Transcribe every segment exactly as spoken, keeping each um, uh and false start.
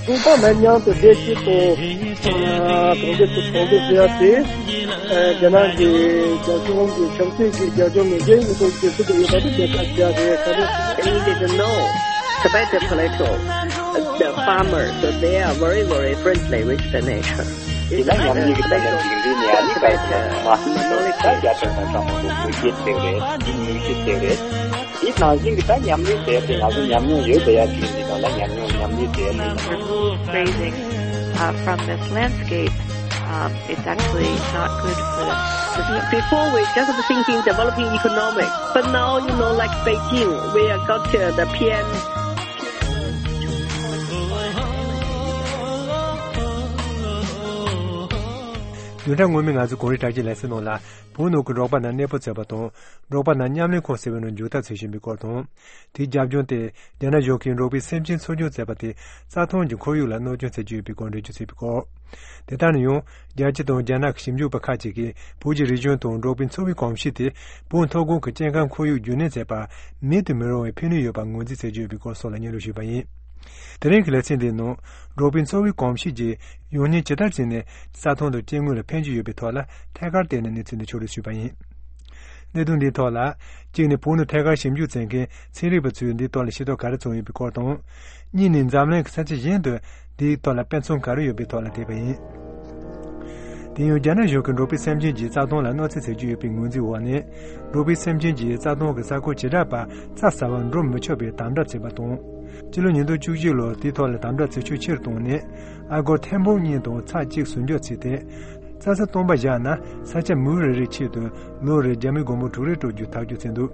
ཁོང་ཚང་མ་མཉམ་དུ་བདེ་སྐྱིད་དང་གྲོང་ཁྱེར་དུ་གྲོང་སྡེ་ཟེར་ཡ་དེ་རྒྱ་ནག་གི་རྒྱ་གཞུང་གི་ཆབ་སྲིད་ཀྱི་རྒྱ་ཁྱོན་ནས་རྒྱ་ཡིག་ཐོག་བསྒྱུར་ཐུབ་ཡོད་པ་དེ་དེ་ལྟར་བྱ་རེད། ག་རེ། They didn't know Tibetan political, the farmers, so they are very, very friendly with the nature. དེ་ན་ཉམས་ཉེས་ཀྱི་ད་ལན་ཅིག་འདི་ནས་ཨ་ནི་ད་ད་རྒྱ་ཆེན་དང་ཚང་མ་ལོ་དགོས་གལ་ཆེ་བ་རེད། དེ་ནུས་གལ་ཆེ་བ་རེད། དེ་ནང་བཞིན་གྱི་ད་ཉམས་ལེན་བྱས་ཏེ་ང་ཚོ་ཉམས་མྱོང་ཡོད་པ་ཡ་ཅིག་འདི་དང་ལ་ཉམས་མྱོང་ཉམས་ལེན་བྱས་ཏེ། Remove grazing, uh, from this landscape, um, it's actually not good for the, for the Before we just thinking developing economic, but now, you know, like Beijing, we have got uh, the P M བདུན་ཕྲག་སྔོན་མའི་ང་ཚོའི་གངས་རི་བྲག་ཅའི་ལེ་ཚན་ནང་ལ། བོད་ནང་གི་འབྲོག་པ་རྣམས་གནས་སྤོ་བྱས་པ་དང་། འབྲོག་པ་རྣམས་མཉམ་ལས་ཁང་ཟེར་བའི་ནང་འཇུག་ཐབས་བྱེད་བཞིན་པའི་སྐོར་དང་། དེའི་རྒྱབ་ལྗོངས་ཏེ། རྒྱ་ནག་གཞུང་གིས་འབྲོག་པའི་སེམས་ཅན་འཚོ་སྐྱོང་བྱས་པ་དེ། རྩྭ་ཐང་གི་ཁོར་ཡུག་ལ་གནོད་སྐྱོན་བྱེད་ཀྱི་ཡོད་པའི་སྐོར་འགྲེལ་བརྗོད་བྱས་པའི་སྐོར། དེ་ལྟར་ན་ཡང་། རྒྱལ་སྤྱི་དང་རྒྱ་ནག་གི་ཞིབ་འཇུག་པ་ཁག་ཅིག་གིས་བོད་ཀྱི་རིག་གཞུང་དང་འབྲོག་པའི་འཚོ་བའི་གོམས་གཤིས་དེ། བོད་མཐོ་སྒང་གི་སྐྱེ་ཁམས་ཁོར་ཡུག་རྒྱུན་གནས་བྱེད་པར་མེད་དུ་མི་རུང་བའི་ཕན་ནུས་ཡོད་པར་ངོས་འཛིན་བྱེད་ཀྱི་ཡོད་པའི་སྐོར་སོགས་ལ་སྙན་སྒྲོན་ཞུས་པ་ཡིན། དེ་རིང་གི་ལེ་ཚན་འདིའི་ནང་། འབྲོག་པའི་འཚོ་བའི་གོམས་གཤིས་ཀྱིས་ཡང་སྙིང་ཇི་ལྟར་བྱས་ནས་རྩྭ་ཐང་དང་སྐྱེ་དངོས་ལ་ཕན་གྱི་ཡོད་པའི་ཐོག་ལ་ཐད་ཀར་བལྟས་ནས་གནས་ཚུལ་འདི་ཕྱོགས་བསྒྲིགས་ཞུས་པ་ཡིན། གནད་དོན་འདིའི་ཐོག་ལ། གཅིག་ནས་བོད་ནང་ཐད་ཀར་ཞིབ་འཇུག་བྱེད་མཁན་ཚན་རིག་པ་ཚོས་འདིའི་ཐོག་ལ་ཤེས་རྟོགས་ག་རེ་བྱུང་ཡོད་པའི་སྐོར་དང་། གཉིས་ནས་འཛམ་གླིང་གི་ས་ཆ་གཞན་དུ་འདིའི་ཐོག་ལ་དཔེ་མཚོན་ག་རེ་ཡོད་པའི་ཐོག་ལ་བལྟས་པ་ཡིན། དེ་ཡང་རྒྱ་ནག་གཞུང་གིས་འབྲོག་པའི་སེམས་ཅན་གྱིས་རྩྭ་ཐང་ལ་གནོད་འཚེ་བྱེད་ཀྱི་ཡོད་པའི་ངོས་འཛིན་འོག་ནས། འབྲོག་པའི་སེམས་ཅན་གྱིས་རྩྭ་ཐང་གི་ས་ཁུལ་བྱེ་བྲག་པར་རྩྭ་ཟ་བར་འགྲོ་མི་ཆོག་པའི་དམ་དྲག་བྱས་པ་དང་། སྤྱི་ལོ་ཉིས་སྟོང་བཅུ་གཅིག་ལོར་དེའི་ཐོག་ལ་དམ་དྲག་བྱེད་ཤུགས་ཆེ་རུ་བཏང་ནས། ཨ་སྒོར་ཐེར་འབུམ་གཉིས་དང་ཚེག་གཅིག་ཟུར་འཇོག་བྱས་ཏེ། རྩྭ་ས་སྟོང་པ་བཞག་ན་ས་ཆ་མུའུ་རེ་རེའི་ཆེད་དུ་ལོ་རེར་རྒྱ་མིའི་སྒོར་མོ་དྲུག་རེ་སྤྲོད་རྒྱུ་ཐག་གཅོད་བྱས་འདུག་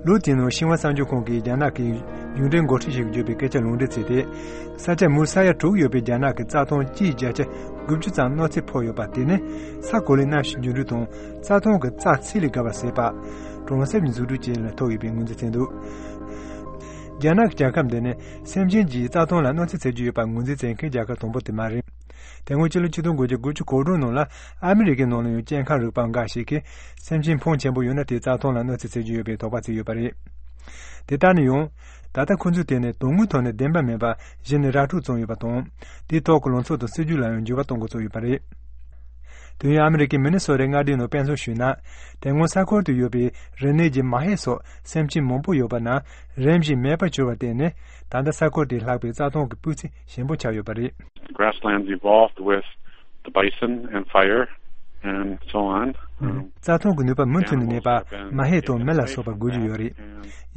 ལོ་དེའི་ནང་ཤིན་ཧྭ་གསར་འགྱུར་ཁང་གིས་རྒྱ་ནག་གི་གཞུང་འབྲེལ་འགོ་ཁྲིད་ཞིག་གིས་བརྗོད་པའི་སྐད་ཆ་ལུང་འདྲེན་བྱས་ཏེ། ས་ཆ་མུའུ་ས་ཡ་དྲུག་ཡོད་པའི་རྒྱ་ནག་གི་རྩྭ་ཐང་སྤྱིའི་བརྒྱ་ཆ་དགུ་བཅུ་ཙམ་གནོད་འཚེ་ཕོག་ཡོད་པ་དེ་ནི་ས་གོ་ལའི་གནམ་གཤིས་འགྱུར་འགྲོས་དང་རྩྭ་ཐང་གི་རྩྭ་ཚད་ལས་བརྒལ་བ་ཟད་པ། གྲོང་གསེབ་ཀྱི་འཛུགས་སྐྲུན་བཅས་ལ་ཐུག་ཡོད་པའི་ངོས་འཛིན་བྱས་འདུག་རྒྱ་ནག་གི་རྒྱལ་ཁབ་འདི་ནི་སེམས་ཅན་གྱིས་རྩྭ་ཐང་ལ་གནོད་འཚེ་བྱེད་ཀྱི་ཡོད་པ་ངོས་འཛིན་བྱེད་མཁན་རྒྱལ་ཁབ་དང་པོ་དེ་མ་རེད། དེ་སྔོན་ཕྱི་ལོ་ཆིག་སྟོང་དགུ་བརྒྱ་དགུ་བཅུ་གོ་དྲུག་ནང་ལ་ཨ་མི་རི་ཀའི་ནང་ལ་ཡང་སྐྱེ་ཁམས་རིག་པ་འགའ་ཞིག་གིས་སེམས་ཅན་ཕོན་ཆེན་པོ་ཡོད་ན་དེས་རྩྭ་ཐང་ལ་གནོད་འཚེ་བྱེད་ཀྱི་ཡོད་པའི་དོགས་པ་བྱས་ཡོད་པ་རེད། དེ་ལྟར་ན་ཡང་། ད་ལྟ་ཁོ་ཚོས་དེ་ནི་དོན་དངོས་ཐོག་ནས་བདེན་པ་མིན་པ་གཞི་ནས་ར་འཕྲོད་བྱུང་ཡོད་པ་དང་། དེའི་ཐོག་གི་ལངས་ཕྱོགས་དང་སྲིད་ཇུས་ལ་ཡང་འགྱུར་བ་གཏོང་དགོས་ཚོད་ཡོད་པ་རེད། དུས་ཡུན་ཨ་མི་རི་ཀའི་མི་ནི་སོ་ཊའི་མངའ་སྡེའི་ནང་དཔེ་མཚོན་ཞུས་ན། དེ་སྔོན་ས་ཁུལ་དུ་ཡོད་པའི་རི་ནས་ཀྱི་མ་ཧེ་སོགས་སེམས་ཅན་མང་པོ་ཡོད་པ་རྣམས་རིམ་བཞིན་མེད་པར་གྱུར་བར་བརྟེན་ནས། ད་ལྟ་ས་ཁུལ་དེའི་ལྷགས་པའི་རྩྭ་ཐང་གི་སྤུས་ཚད་ཞན་པོ་ཆགས་ཡོད་པ་རེད། Grasslands evolved with the bison and fire and so on. རྩྭ་ཐང་གི་ནུས་པ་མུ་མཐུད་ནས་གནས་པ་མ་ཧེ་དང་མི་ལ་སོགས་པ་དགོས་ཀྱི་ཡོད་རེད།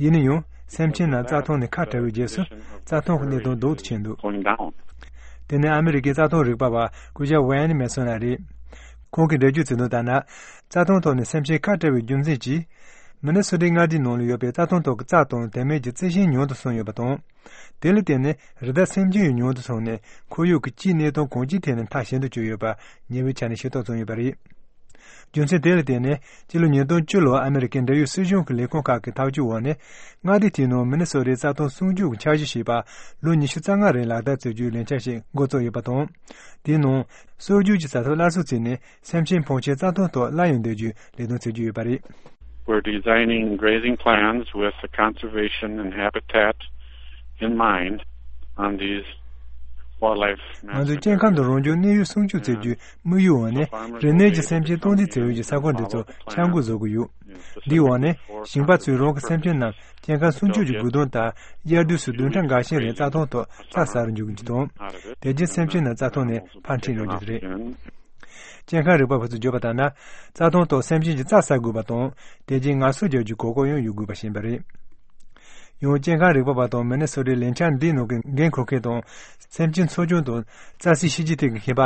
ཡིན་ན་ཡང་སེམས་ཅན་རྣམས་རྩྭ་ཐང་ནས་ཁ་བྲལ་བའི་རྗེས་སུ་རྩྭ་ཐང་གི་གནས་སྟངས་སྡུག་ཏུ་ཕྱིན་འདུག་དེ་ནི་ཨ་མི་རི་ཀའི་རྩྭ་ཐང་རིག་པ་བ་སྐུ་ཞབས་ཝེན་མེ་སོན་ལགས་རེད། ཁོང་གིས་འགྲེལ་བརྗོད་བྱས་དོན་ལྟར་ན། རྩྭ་ཐང་ཐོག་ནས་སེམས་ཅན་ཁ་བྲལ་བའི་རྒྱུ་མཚན་གྱིས། མི་ནི་སོ་ཊའི་མངའ་སྡེའི་ནང་ལ་ཡོད་པའི་རྩྭ་ཐང་ཐོག་གི་རྩྭ་དང་དེ་མིན་གྱི་རྩི་ཤིང་ཉུང་དུ་སོང་ཡོད་པ་དང་། དེ་ལ་བརྟེན་ནས་རི་དྭགས་སེམས་ཅན་ཡང་ཉུང་དུ་སོང་ནས་ཁོར་ཡུག་གི་སྤྱིའི་གནས་སྟངས་གང་ཅིའི་ཐད་ནས་མཐའ་ཞན་དུ་གྱུར་ཡོད་པ་ཉེ་བའི་ཆར་ནས་ཤེས་རྟོགས་བྱུང་ཡོད་པ་རེད། རྒྱུ་མཚན་དེ་ལ་བརྟེན་ནས་སྤྱི་ལོ་ཉིས་སྟོང་བཅུ་ལོར་ཨ་མི་རི་ཀའི་འབྲེལ་ཡོད་སྲིད་གཞུང་གི་ལས་ཁུངས་ཁག་གི་ཐག་གཅོད་འོག་ནས་མངའ་སྡེ་དེའི་ནང་མི་ནི་སོ་ཊའི་རྩྭ་ཐང་སྲུང་སྐྱོབ་ཀྱི་འཆར་གཞི་ཞེས་པ་ལོ་ཉི་ཤུ་རྩ་ལྔ་རིང་ལག་བསྟར་བྱེད་རྒྱུའི་ལས་འཆར་ཞིག་འགོ་བཙུགས་ཡོད་པ་དང་། དེའི་ནང་སྲོལ་རྒྱུན་གྱི་བྱ་ཐབས་སླར་གསོ་བྱས་ནས། སེམས་ཅན་ཕོན་ཆེན་རྩྭ་ཐང་ཐོག་སླར་ཡང་སྡོད་རྒྱུའི་ལས་དོན་བྱེད་ཀྱི་ཡོད་པ་རེད། We're designing grazing plans with the conservation and habitat in mind on these wildlife management areas. ང་ཚོས་སྐྱེ་ཁམས་དང་རང་བྱུང་གནས་ཡུལ་སྲུང་སྐྱོབ་བྱེད་རྒྱུའི་དམིགས་ཡུལ་འོག་ནས་རི་ནས་ཀྱི་སེམས་ཅན་སྟངས་འཛིན་བྱེད་ཡུལ་གྱི་ས་ཁོངས་འདི་ཚོ་འཆར་འགོད་བཟོ་གི་ཡོད། འདིའི་འོག་ནས་ཞིང་པ་ཚོས་རང་གི་སེམས་ཅན་རྣམས་སྐྱེ་ཁམས་སྲུང་སྐྱོབ་ཀྱི་དགོས་དོན་ལྟར་དབྱར་དུས་སུ་བདུན་ཕྲག་འགའ་ཤས་རིང་རྩྭ་ཐང་ཐོག་རྩྭ་ཟ་རུ་འཇུག་རྒྱུ་དང་། དེ་རྗེས་སེམས་ཅན་རྣམས་རྩྭ་ཐང་ནས་ཕར་འཁྲིད་འགྲོ་རྒྱུ་རེད། སྐྱེ་ཁམས་རིག་པ་བ་ཚོས་བརྗོད་པ་ལྟར་ན། རྩྭ་ཐང་ཐོག་སེམས་ཅན་གྱི་རྩྭ་ཟ་དགོས་པ་དང་། དེ་རྗེས་ངལ་གསོ་རྒྱག་རྒྱུའི་གོ་སྐབས་ཡང་ཡོད་དགོས་པ་ཞིག་ཡིན་པ་རེད། ཡང་སྐྱེ་ཁམས་རིག་པ་བ་དང་མི་ནི་སོ་ཊའི་ལས་འཆར་འདིའི་ནང་གི་འགན་འཁུར་མཁན་དང་། སེམས་ཅན་འཚོ་སྐྱོང་དང་རྩྭ་སའི་ཤེས་བྱའི་ཐད་ཀྱི་མཁས་པ་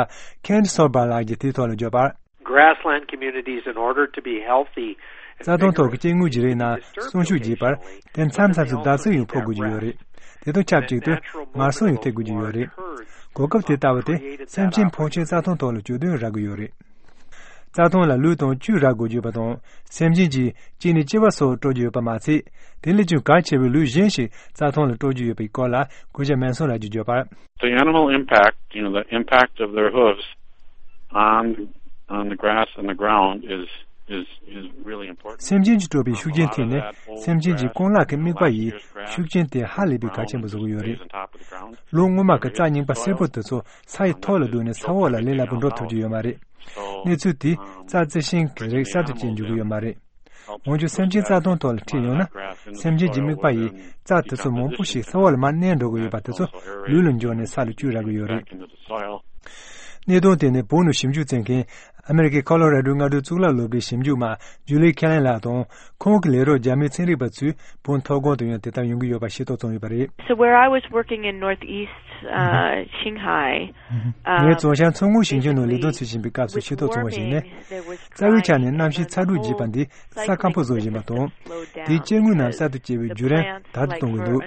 ཁེན་སོར་བྷ་ལགས་ཀྱིས་དེའི་ཐོག་ལ་བརྗོད་པར། Grassland communities, in order to be healthy and རྩྭ་ཐང་ཐོག་གི་སྐྱེ་དངོས་ཀྱི་རིགས་རྣམས་སྲུང་སྐྱོབ་བྱེད་པར། དེ་མཚམས་མཚམས་སུ་བརྡབ་གསིག་ཡང་ཕོག་དགོས་ཀྱི་ཡོད་རེད། དེ་དང་ཆབས་ཅིག་ཏུ་ངལ་གསོ་ཡང་ཐེབས་དགོས་ཀྱི་ཡོད་རེད། གོ་སྐབས་དེ་ལྟ་བུ་དེ་སེམས་ཅན་ཕོན་ཆེན་རྩྭ་ཐང་ཐོག་ལ་བསྐྱོད་དོན་རག་གི་ཡོད་རེད། རྩྭ་ཐང་ལ་ལུད་དང་བཅུད་རག་དགོས་ཀྱི་ཡོད་པ་དང་། སེམས་ཅན་གྱིས་གཅིག་ནས་ལྕི་བ་སོགས་སྤྲོད་ཀྱི་ཡོད་པ་མ་ཚད། དེ་ལས་ཀྱང་གལ་ཆེ་བའི་ལུད་གཞན་ཞིག་རྩྭ་ཐང་ལ་སྤྲོད་ཀྱི་ཡོད་པའི་སྐོར་ལ་སྐུ་ཞབས་མན་སོན་ལགས་ཀྱིས་བརྗོད་པར། The animal impact, you know, the impact of their hooves on, on the grass and the ground is is, is really important. སེམས་ཅན་གྱིས་དཀྲོལ་བའི་ཤུགས་རྐྱེན་ཐད་ནས་སེམས་ཅན་གྱི་རྐང་ལག་གི་རྨིག་པ་ཡིས་ཤུགས་རྐྱེན་དེ་ཧ་ལས་པའི་གལ་ཆེན་པོ་བཟོ་གི་ཡོད་རེད། ལོ་སྔོན་མ་གི་རྩྭ་རྙིང་པ་སེར་པོ་དེ་ཚོ་ས་ཡི་ཐོག་ལ་བརྡོལ་ནས་ས་འོག་ལ་ལས་སླ་པོ་འགྲོ་ཐུབ་ཀྱི་ཡོད་མ་རེད། གནས་ཚུལ་དེས་རྩྭ་རྩི་ཤིང་གི་རིགས་གསར་དུ་སྐྱེ་འཇུག་གི་ཡོད་མ་རེད། འོན་ཀྱང་སེམས་ཅན་རྩྭ་ཐང་ཐོག་ལ་ཁྲིད་ཡོང་ན། སེམས་ཅན་གྱི་རྨིག་པ་ཡིས་རྩྭ་དེ་ཚོ་མང་པོ་ཞིག་ས་འོག་ལ་མར་མནན་འགྲོ་གི་ཡོད་པ་དེ་ཚོ་ལུད་ལ་འགྱུར་ནས་ས་ལ་བཅུག་རག་གི་ཡོད་རེད། གནད་དོན་དེ་ནི་བོད་ནང་ཞིབ་འཇུག་བྱེད་མཁན་ཨ་མེ་རི་ཁའི་ཁོ་ལོ་ར་ཌོའི་མངའ་སྡེའི་གཙུག་ལག་སློབ་དགེའི་ཞིབ་འཇུག་མ་ཇུ་ལི་ཁེ་ལན་ལགས་དང་ཁོང་གི་ལས་རོགས་རྒྱ་མིའི་ཚན་རིག་པ་ཚོས་བོད་མཐོ་སྒང་དུ་ཡང་དེ་ལྟར་ཡོང་གི་ཡོད་པ་ཤེས་རྟོགས་བྱུང་ཡོད་པ་རེད། So where I was working in Northeast, uh, Qinghai, ངས་རྫོང་ཤར་མཚོ་སྔོན་ཞིང་ཆེན་ནང་ལས་དོན་བྱེད་བཞིན་པའི་སྐབས་སུ་ཤེས་རྟོགས་བྱུང་བ་ཞིག་ནི། རྩ་བའི་ཆ་ནས་གནམ་གཤིས་ཚ་དྲོད་རྒྱས་པ་འདིས་ས་སྐམ་པོ་བཟོ་བཞིན་པ་དང་། དེའི་སྐྱེ་དངོས་རྣམས་གསར་དུ་སྐྱེ་བའི་བརྒྱུད་རིམ་དལ་དུ་གཏོང་གི་འདུག་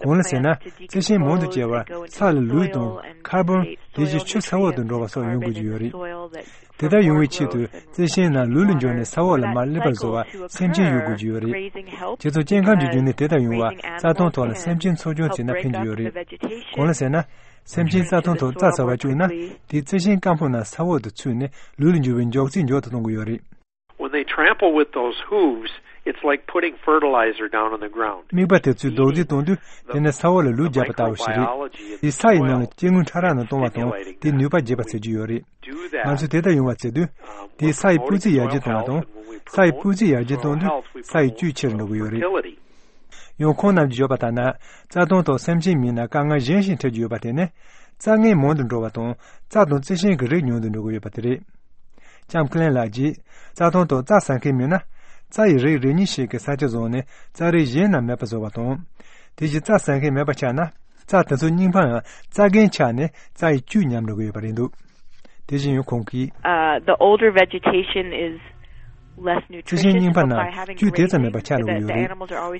གང་ལ་ཟེར་ན། རྩི་ཤིང་མང་དུ་སྐྱེ་བར་ས་ལ་ལུད་དང་ཁར་བོན་དེ་བཞིན་ཆུ་ས་འོག་ཏུ་འགྲོ་བ་སོགས་ཡོང་དགོས་ཀྱི་ཡོད་རེད། དེ་ལྟར་ཡོང་བའི་ཆེད་དུ་རྩི་ཤིང་རྣམས་ལུད་ལ་འགྱུར་ནས་ས་འོག་ལ་མར་སླེབས་པར་བཟོ་བར་སེམས་ཅན་ཡོད་དགོས་ཀྱི་ཡོད་རེད། དེ་ཚོ་སྐྱེ་ཁམས་ཀྱི་རྒྱུ་ནི་དེ་ལྟར་ཡོང་བར་རྩྭ་ཐང་ཐོག་ལ་སེམས་ཅན་འཚོ་སྐྱོང་བྱས་ན་ཕན་གྱི་ཡོད་རེད། གང་ལ་ཟེར་ན། སེམས་ཅན་རྩྭ་ཐང་ཐོག་རྩྭ་ཟ་བར་བཅུག་ན། དེས་རྩི་ཤིང་སྐམ་པོ་རྣམས་ས་འོག་ཏུ་ཚུད་ནས་ལུད་ལ་འགྱུར་བའི་མགྱོགས་ཚད་མགྱོགས་སུ་གཏོང་གི་ཡོད་རེད། When they trample with those hooves, it's like putting fertilizer down on the ground. རྨིག་པ་དེ་ཚོས་རྡོག་རྫིས་གཏོང་དུས་དེ་ནི་ས་འོག་ལ་ལུད་རྒྱག་པ་ལྟ་བུ་ཞིག་རེད། དེས་ས་ཡི་ནང་ལ་སྐྱེ་དངོས་ཕྲ་རགས་རྣམས་གཏོང་བ་དང་དེས་ནུས་པ་རྒྱས་པ་བྱེད་ཀྱི་ཡོད་རེད། ང་ཚོས་དེ་ལྟར་ཡོང་བ་བྱེད་དུས། དེས་ས་ཡི་སྤུས་ཚད་ཡར་རྒྱས་གཏོང་བ་དང་། ས་ཡི་སྤུས་ཚད་ཡར་རྒྱས་གཏོང་དུས་ས་ཡི་བཅུད་ཆེ་རུ་འགྲོ་གི་ཡོད་རེད། ཡང་ཁོང་རྣམས་ཀྱིས་བརྗོད་པ་ལྟར་ན། རྩྭ་ཐང་ཐོག་སེམས་ཅན་མིན་ན་དཀའ་ངལ་གཞན་ཞིག་འཕྲད་ཀྱི་ཡོད་པ་དེ་ནི། རྩྭ་ངན་མང་དུ་འགྲོ་བ་དང་རྩྭ་དང་རྩི་ཤིང་གི་རིགས་ཉུང་དུ་འགྲོ་གི་ཡོད་པ་དེ་རེད། ལྕམ་ཁི་ལན་ལགས་ཀྱིས། རྩྭ་ཐང་ཐོག་རྩྭ་ཟ་མཁན་མིན་ན། རྩྭ་ཡི་རིགས་རེ་གཉིས་ཤིག་གི་ས་ཆ་བཟུང་ནས་རྩྭ་རིགས་གཞན་རྣམས་མེད་པར་བཟོ་བ་དང་། དེ་བཞིན་རྩྭ་ཟ་མཁན་མེད་པ་ཆགས་ན། རྩྭ་དེ་ཚོ་རྙིང་པའམ་རྩྭ་རྒན་ཆགས་ནས་རྩྭ་ཡི་བཅུད་ཉམས་འགྲོ་གི་ཡོད་པ་རེད་འདུག་དེ་བཞིན་ཡང་ཁོང་གིས། Uh, the older vegetation is less རྩི་ཤིང་རྙིང་པ་རྣམས་བཅུད་དེ་ཙམ་མེད་པ་ཆགས་འགྲོ་གི་ཡོད་རེད།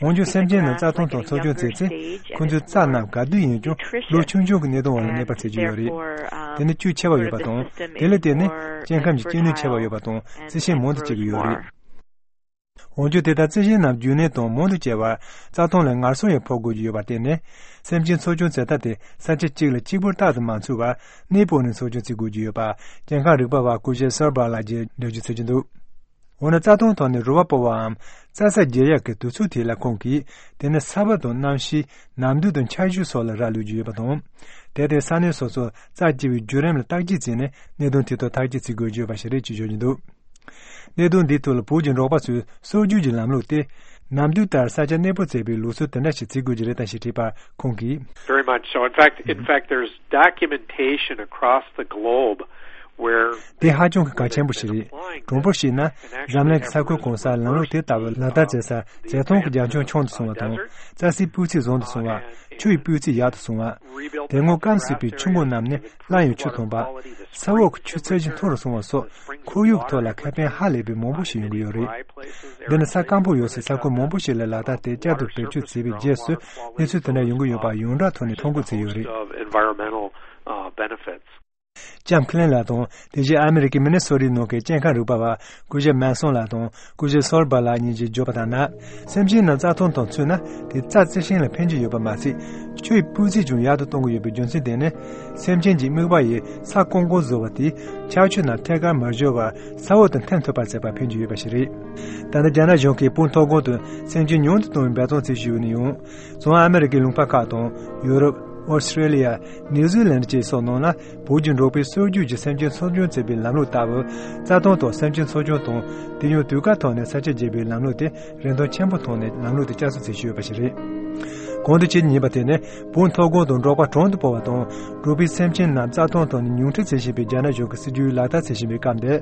འོན་ཀྱང་སེམས་ཅན་རྣམས་རྩྭ་ཐང་ཐོག་འཚོ་སྐྱོང་བྱེད་ཚེ། ཁོ་ཚོའི་རྩྭ་རྣམས་ག་དུས་ཡིན་ཀྱང་ལོ་ཆུང་ཆུང་གི་གནས་སྟངས་འོག་ལ་གནས་པར་བྱེད་ཀྱི་ཡོད་རེད། དེ་ནི་བཅུད་ཆེ་བ་ཡོད་པ་དང་། དེ་ལ་བརྟེན་ནས་སྐྱེ་ཁམས་ཀྱི་སྐྱེ་ནུས་ཆེ་བ་ཡོད་པ་དང་རྩི་ཤིང་མང་དུ་སྐྱེ་གི་ཡོད་རེད། འོན་ཀྱང་དེ་ལྟར་རྩི་ཤིང་རྣམས་རྒྱུན་གནས་དང་མང་དུ་སྐྱེ་བར་རྩྭ་ཐང་ལ་ངལ་གསོ་ཡང་ཕོག་དགོས་ཀྱི་ཡོད་པར་བརྟེན་ནས། སེམས་ཅན་འཚོ་སྐྱོང་བྱེད་ཐབས་དེ་ས་ཆ་གཅིག་ལ་གཅིག་པུར་རྟག་ཏུ་མ་འཚོལ་བར་གནས་སྤོས་ནས་འཚོ་སྐྱོང་བྱེད་དགོས་ཀྱི་ཡོད་པ། སྐྱེ་ཁམས་རིག་པ་བ་སྐུ་ཞབས་སོར་བྷ་ལགས་ཀྱིས་འགྲེལ་བརྗོད་བྱེད་ཀྱི་འདུག་འོ་ན་རྩྭ་ཐང་ཐོག་ནས་རུ་བ་སྤོ་བའམ་རྩྭ་ས་བརྗེ་ཡག་གི་དུས་ཚོད་དེ་ལ་ཁོང་གིས། དེ་ནི་ས་བབ་དང་གནམ་གཤིས། ནམ་དུས་དང་ཆར་ཆུ་སོགས་ལ་རག་ལུས་ཀྱི་ཡོད་པ་དང་། དེར་བརྟེན་ས་གནས་སོ་སོར་རྩྭ་སྐྱེ་བའི་བརྒྱུད་རིམ་ལ་བརྟག་དཔྱད་བྱས་ནས་གནད་དོན་དེ་ཐོག་ཐག་གཅོད་བྱེད་དགོས་ཀྱི་ཡོད་པ་ཞིག་རེད་ཅེས་བརྗོད་ཀྱི་འདུག་གནད་དོན་འདིའི་ཐོག་ལ་བོད་ཀྱི་འབྲོག་པ་ཚོས་སྲོལ་རྒྱུན་གྱི་ལམ་ལུགས་ཏེ། ནམ་དུས་ལྟར་ས་ཆ་གནས་སྤོ་བྱེད་པའི་ལུགས་སྲོལ་དེ་འདྲ་ཞིག་བྱེད་དགོས་ཀྱི་རེད་དམ་ཞེས་དྲིས་པར་ཁོང་གིས། Very much so. In fact, in fact, there's documentation across the globe where དེ་ཧ་ཅང་གི་གལ་ཆེན་པོ་ཞིག་རེད། གྲུང་པོ་བཤད་ན། འཛམ་གླིང་གི་ས་ཁུལ་གང་སར་ལམ་ལུགས་དེ་ལྟ་བུ་ལག་བསྟར་བྱེད་སར་བྱེ་ཐང་གི་རྒྱ་ཁྱོན་ཆུང་དུ་སོང་བ་དང་། རྩྭ་སའི་སྤུས་ཚད་བཟང་དུ་སོང་བ། ཆུ་ཡི་སྤུས་ཚད་ཡག་ཏུ་སོང་བ། དེ་སྔོན་སྐམ་ཟིན་པའི་ཆུ་འགོ་རྣམས་ནི་སླར་ཡང་ཆུ་འཐུང་བ། ས་འོག་གི་ཆུ་ཚད་གཞི་མཐོ་རུ་སོང་བ་སོགས་ཁོར་ཡུག་ཐོག་ལ་ཁེ་ཕན་ཧ་ལས་པའི་མང་པོ་ཞིག་ཡོང་གི་ཡོད་རེད། འདི་ནི་ས་སྐམ་པོ་ཡོད་སའི་ས་ཁུལ་མང་པོ་ཞིག་ལ་ལག་བསྟར་དེ་བསྐྱར་དུ་བེད་སྤྱོད་བྱས་པའི་རྗེས་སུ་གནས་ཚུལ་དེ་འདྲ་ཡོང་གི་ཡོད་པ་ཡོངས་གྲགས་ཐོག་ནས་ཐོ་འགོད་བྱས་ཡོད་རེད། Of environmental, uh, benefits. ལྕམ་ཁི་ལན་ལགས་དང་དེ་བཞིན་ཨ་མེ་རི་ཀའི་མི་ནི་སོ་ཊའི་ནང་གི་སྐྱེ་ཁམས་རིག་པ་བ་སྐུ་ཞབས་མན་སོན་ལགས་དང་སྐུ་ཞབས་སོལ་བྷ་ལགས་གཉིས་ཀྱིས་བརྗོད་པ་ལྟར་ན། སེམས་ཅན་རྣམས་རྩྭ་ཐང་དང་ཚུད་ན་དེ་རྩྭ་རྩི་ཤིང་ལ་ཕན་གྱི་ཡོད་པ་མ་ཟད། ཆུ་ཡི་སྤུས་ཚད་ཀྱང་ཡག་ཏུ་གཏོང་གི་ཡོད་པའི་རྒྱུ་མཚན་དེ་ནི། སེམས་ཅན་གྱི་རྨིག་པ་ཡིས་ས་ཀོང་ཀོང་བཟོ་བ་དེས་ཆར་ཆུ་རྣམས་ཐད་ཀར་མ་འབྱོར་བར་ས་འོག་ཏུ་འཐེན་ཐུབ་པར་བྱེད་པར་ཕན་གྱི་ཡོད་པ་ཞིག་རེད། ད་ལྟ་རྒྱ་ནག་གཞུང་གིས་བོད་མཐོ་སྒང་དུ་སེམས་ཅན་ཉུང་དུ་གཏོང་བའི་འབད་བརྩོན་བྱེད་བཞིན་ཡོད་ན་ཡང་། བྱང་ཨ་མེ་རི་ཀའི་ལུང་པ་ཁག་དང་ཡུ་རོབ། ཨོ་སི་ཀྲེ་ལི་ཡ། ནིའུ་ཛི་ལན་བཅས་སོགས་ནང་ལ་བོད་ཀྱི་འབྲོག་པའི་སྲོལ་རྒྱུན་གྱི་སེམས་ཅན་འཚོ་སྐྱོང་བྱེད་པའི་ལམ་ལུགས་ལྟ་བུ། རྩྭ་ཐང་ཐོག་སེམས་ཅན་འཚོ་སྐྱོང་དང་། དེ་ཡང་དུས་བཀག་ཐོག་ནས་ས་ཆ་བརྗེ་བའི་ལམ་ལུགས་དེ་རིན་ཐང་ཆེན་པོ་མཐོང་ནས་ལམ་ལུགས་དེ་བསྐྱར་གསོ་བྱེད་བཞིན་ཡོད་པ་ཞིག་རེད། གོང་དུ་ཆེད་དུ་ཉན་པ་དེ་ནི་བོད་མཐོ་སྒང་དུ་འབྲོག་པ་གྲོང་དུ་སྤོ་བ་དང་འབྲོག་པའི་སེམས་ཅན་རྣམས་རྩྭ་ཐང་ཐོག་ནས་ཉུང་འཕྲི་བྱེད་བཞིན་པའི་རྒྱ་ནག་གཞུང་གི་སྲིད་ཇུས་ལག་བསྟར་བྱེད་བཞིན་པའི་སྐབས་འདིར།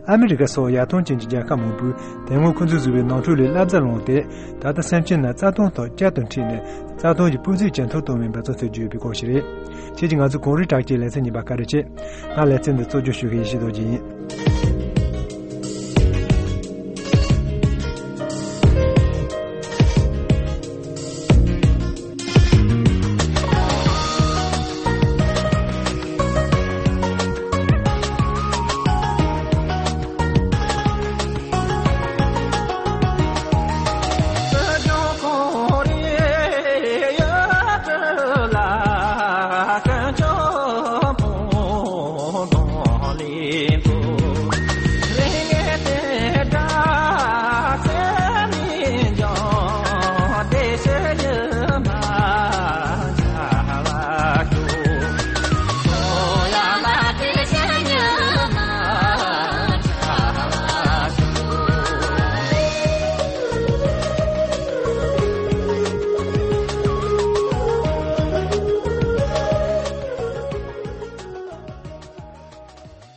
ཨ་མི་རི་ཀ་སོགས་ཡར་ཐོན་ཅན་གྱི་རྒྱལ་ཁབ་མང་པོས་དེ་སྔོན་ཁོ་ཚོས་བཟོས་པའི་ནོར་འཁྲུལ་ལས་བསླབ་བྱ་བླངས་ཏེ། ད་ལྟ་སེམས་ཅན་རྣམས་རྩྭ་ཐང་ཐོག་བསྐྱར་དུ་འཁྲིད་ནས་རྩྭ་ཐང་གི་སྤུས་ཚད་ཇེ་མཐོར་གཏོང་བའི་འབད་བརྩོན་བྱེད་ཀྱི་ཡོད་པའི་སྐོར་ཞིག་རེད། ཁྱེད་ཀྱིས་ང་ཚོའི་གངས་རིའི་བྲག་ཅའི་ལེ་ཚན་གཉིས་པ་བཀའ་དྲིན་ཆེ། ང་ལེ་ཚན་འདི་གཙོ་སྐྱོང་ཞུ་མཁན་ཡེ་ཤེས་རྡོ་རྗེ་ཡིན།